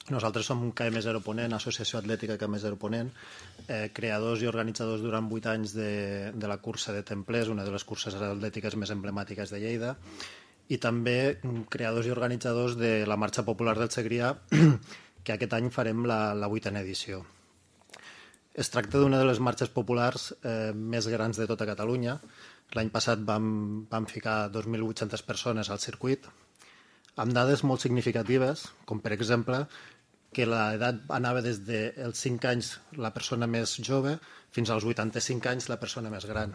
Nosaltres som KM Zero Ponent, Associació Atlètica KM Zero Ponent, creadors i organitzadors durant 8 anys de la cursa de Templers, una de les curses atlètiques més emblemàtiques de Lleida, i també creadors i organitzadors de la Marxa Popular del Segrià, que aquest any farem la 8a edició. Es tracta d'una de les marxes populars més grans de tota Catalunya. L'any passat vam ficar 2.800 persones al circuit, amb dades molt significatives, com per exemple que l'edat anava des dels 5 anys la persona més jove fins als 85 anys la persona més gran.